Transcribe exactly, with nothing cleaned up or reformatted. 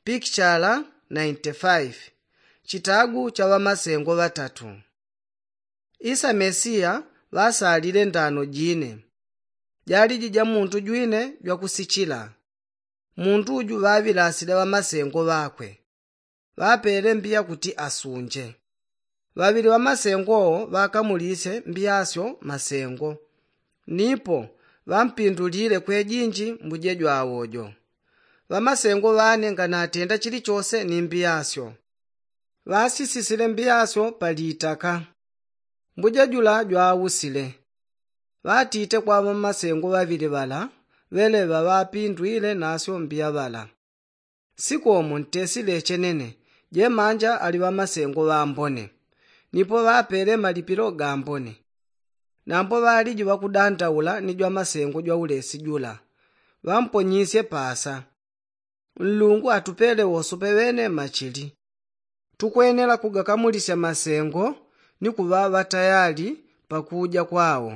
Pikichala nainti faifi. Chitagu cha ŵamasengo ŵatatu. Isa mesiya ŵasalile ndano jine. Jaliji ja muntu jwine jwakusichila. Muntu uju ŵaŵilasile ŵamasengo ŵakwe. Ŵapele mbiya kuti asunje. Ŵaŵili ŵamasengo wo ŵakamulise mbiyasyo masengo. Nipo ŵampindulile kwejinji mbuje jwawo jo. Ŵamasengo ŵane nganatenda chilichose ni mbiyasyo. Ŵasisisile mbiyasyo palitaka. Mbuje jula jwausile. Ŵatite kwa ŵamasengo ŵaŵili ŵala ŵeleŵa ŵapindwile nasyo mbiya ŵala. Sikomo ntesile chenene, jemanja ali ŵamasengo ŵambone. Nipo ŵapele malipilo gambone. Nambo ŵaliji ŵakudandaula ni jwamasengo jwaulesi jula. Ŵamponyisye pasa. Nlungu atupele wosope ŵene machili. Tukwenela kugakamulisya masengo ni kuŵa ŵatayali pakuja kwawo.